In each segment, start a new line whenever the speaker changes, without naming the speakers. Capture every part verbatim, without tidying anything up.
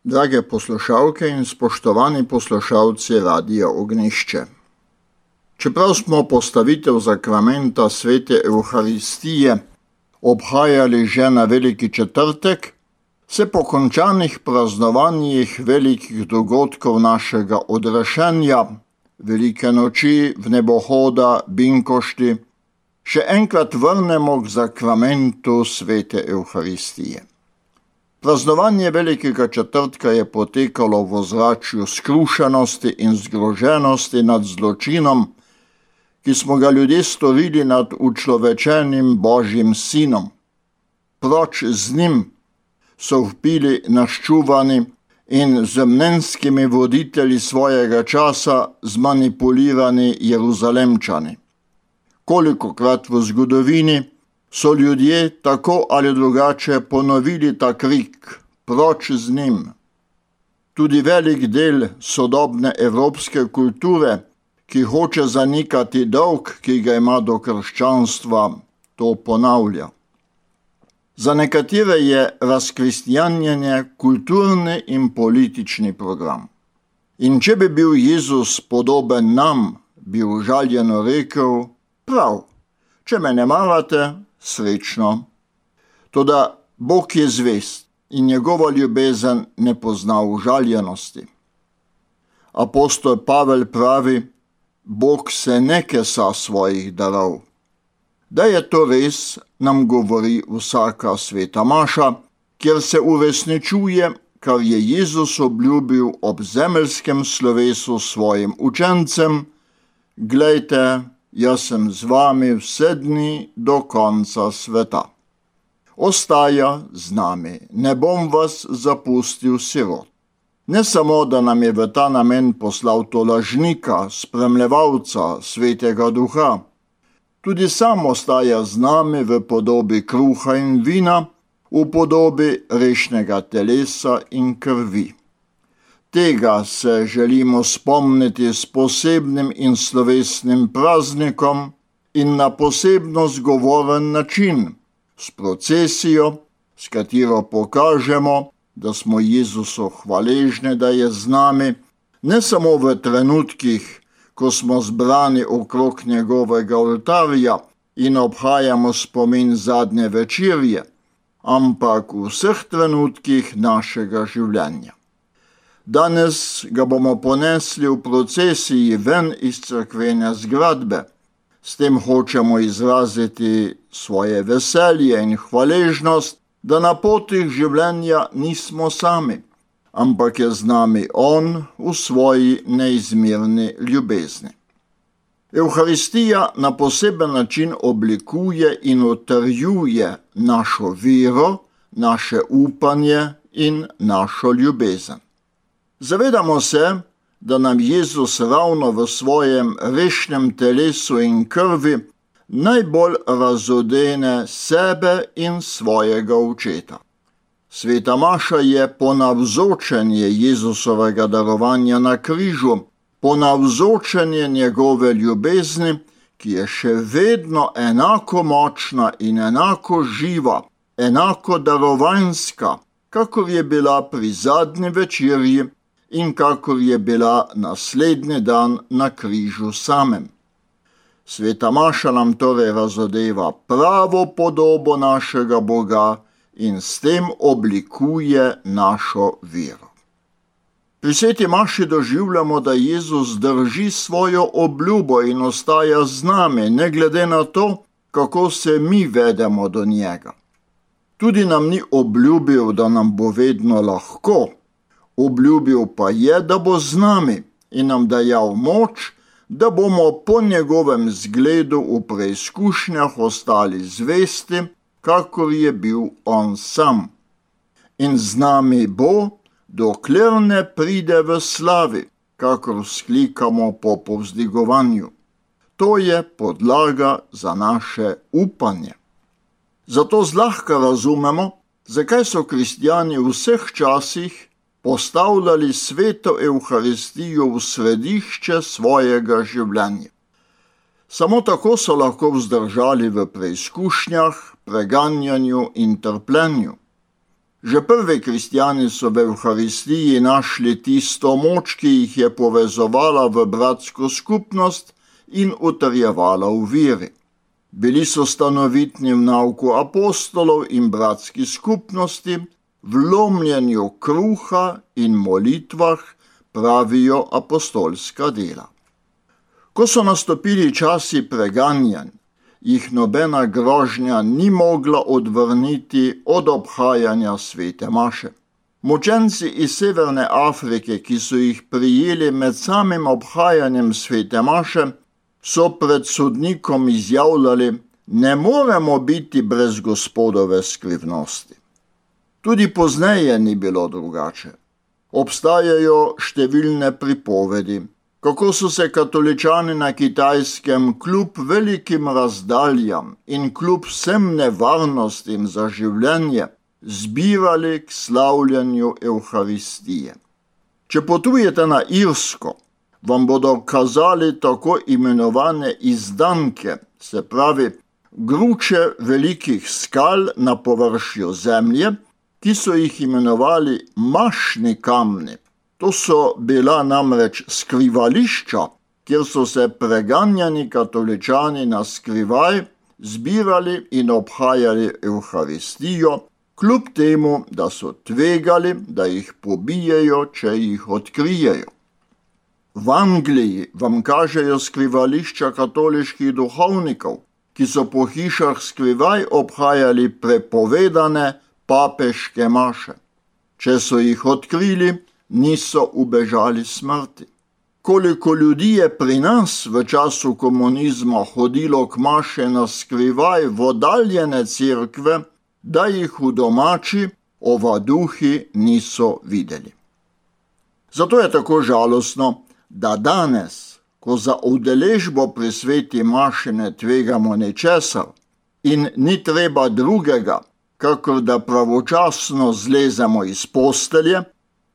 Drage poslušalke in spoštovani poslušalci Radia Ognjišče. Čeprav smo postavitev zakramenta svete Evharistije obhajali že na Veliki četrtek, se po končanih praznovanjih velikih dogodkov našega odrešenja, Velike noči, vnebohoda, binkošti, še enkrat vrnemo k zakramentu svete Evharistije. Praznovanje Velikega četrtka je potekalo v ozračju skrušenosti in zgroženosti nad zločinom, ki smo ga ljudje storili nad učlovečenim Božjim sinom. Proč z njim so vpili naščuvani in z mnenjskimi voditelji svojega časa zmanipulirani Jeruzalemčani. Kolikokrat v zgodovini so ljudje tako ali drugače ponovili ta krik, proč z njim. Tudi velik del sodobne evropske kulture, ki hoče zanikati dolg, ki ga ima do krščanstva, to ponavlja. Za nekatere je razkristjanjenje kulturni in politični program. In če bi bil Jezus podoben nam, bi užaljeno rekel, prav, če me ne marate, srečno. Toda Bog je zvest in njegova ljubezen ne pozna užaljenosti. Apostol Pavel pravi, Bog se ne kesa svojih darov. Da je to res, nam govori vsaka sveta maša, kjer se uresničuje, kar je Jezus obljubil ob zemeljskem slovesu svojim učencem, glejte, jaz sem z vami vse dni do konca sveta. Ostaja z nami, ne bom vas zapustil sirot. Ne samo, da nam je v ta namen poslal tolažnika, spremljevalca, svetega duha, tudi sam ostaja z nami v podobi kruha in vina, v podobi rešnega telesa in krvi. Tega se želimo spomniti s posebnim in slovesnim praznikom in na posebno zgovoren način, s procesijo, s katero pokažemo, da smo Jezusu hvaležni, da je z nami, ne samo v trenutkih, ko smo zbrani okrog njegovega oltarja in obhajamo spomin zadnje večerje, ampak v vseh trenutkih našega življenja. Danes ga bomo ponesli v procesiji ven iz cerkvene zgradbe. S tem hočemo izraziti svoje veselje in hvaležnost, da na potih življenja nismo sami, ampak je z nami On v svoji neizmerni ljubezni. Evharistija na poseben način oblikuje in utrjuje našo vero, naše upanje in našo ljubezen. Zavedamo se, da nam Jezus ravno v svojem rešnem telesu in krvi najbolj razodene sebe in svojega očeta. Sveta maša je ponavzočenje Jezusovega darovanja na križu, ponavzočenje njegove ljubezni, ki je še vedno enako močna in enako živa, enako darovanjska, kakor je bila pri zadnji večerji in kakor je bila naslednji dan na križu samem. Sveta maša nam torej razodeva pravo podobo našega Boga in s tem oblikuje našo vero. Pri sveti maši doživljamo, da Jezus drži svojo obljubo in ostaja z nami, ne glede na to, kako se mi vedemo do njega. Tudi nam ni obljubil, da nam bo vedno lahko, obljubil pa je, da bo z nami in nam dajal moč, da bomo po njegovem zgledu v preizkušnjah ostali zvesti, kakor je bil on sam. In z nami bo, dokler ne pride v slavi, kakor vzklikamo po povzdigovanju. To je podlaga za naše upanje. Zato zlahka razumemo, zakaj so kristjani v vseh časih postavljali sveto Evharistijo v središče svojega življenja. Samo tako so lahko vzdržali v preizkušnjah, preganjanju in trpljenju. Že prvi kristjani so v Evharistiji našli tisto moč, ki jih je povezovala v bratsko skupnost in utrjevala v veri. Bili so stanovitni v nauku apostolov in bratski skupnosti, v lomljenju kruha in molitvah, pravijo apostolska dela. Ko so nastopili časi preganjanj, jih nobena grožnja ni mogla odvrniti od obhajanja svete maše. Mučenci iz Severne Afrike, ki so jih prijeli med samim obhajanjem svete maše, so pred sodnikom izjavljali: ne moremo biti brez Gospodove skrivnosti. Tudi pozneje ni bilo drugače. Obstajajo številne pripovedi, kako so se katoličani na Kitajskem kljub velikim razdaljam in kljub vsem nevarnostim za življenje zbirali k slavljanju Evharistije. Če potujete na Irsko, vam bodo kazali tako imenovane izdanke, se pravi gruče velikih skal na površju zemlje, ki so jih imenovali mašni kamni. To so bila namreč skrivališča, kjer so se preganjani katoličani na skrivaj zbirali in obhajali Evharistijo, kljub temu, da so tvegali, da jih pobijejo, če jih odkrijejo. V Angliji vam kažejo skrivališča katoliških duhovnikov, ki so po hišah skrivaj obhajali prepovedane papeške maše. Če so jih odkrili, niso ubežali smrti. Koliko ljudi je pri nas v času komunizma hodilo k maše na skrivaj v oddaljene cerkve, da jih v domači ovaduhi niso videli. Zato je tako žalostno, da danes, ko za udeležbo pri sveti maši ne tvegamo ničesar in ni treba drugega, kakor da pravočasno zlezemo iz postelje,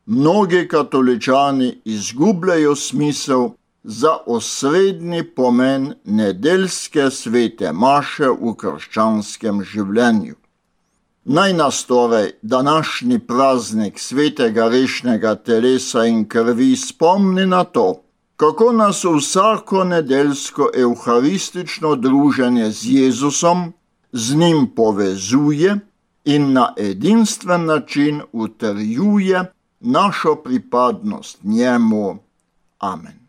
mnogi katoličani izgubljajo smisel za osrednji pomen nedeljske svete maše v krščanskem življenju. Naj nas torej današnji praznik svetega rešnega telesa in krvi spomni na to, kako nas vsako nedeljsko evharistično druženje z Jezusom z njim povezuje in na edinstven način utrjuje našo pripadnost njemu. Amen.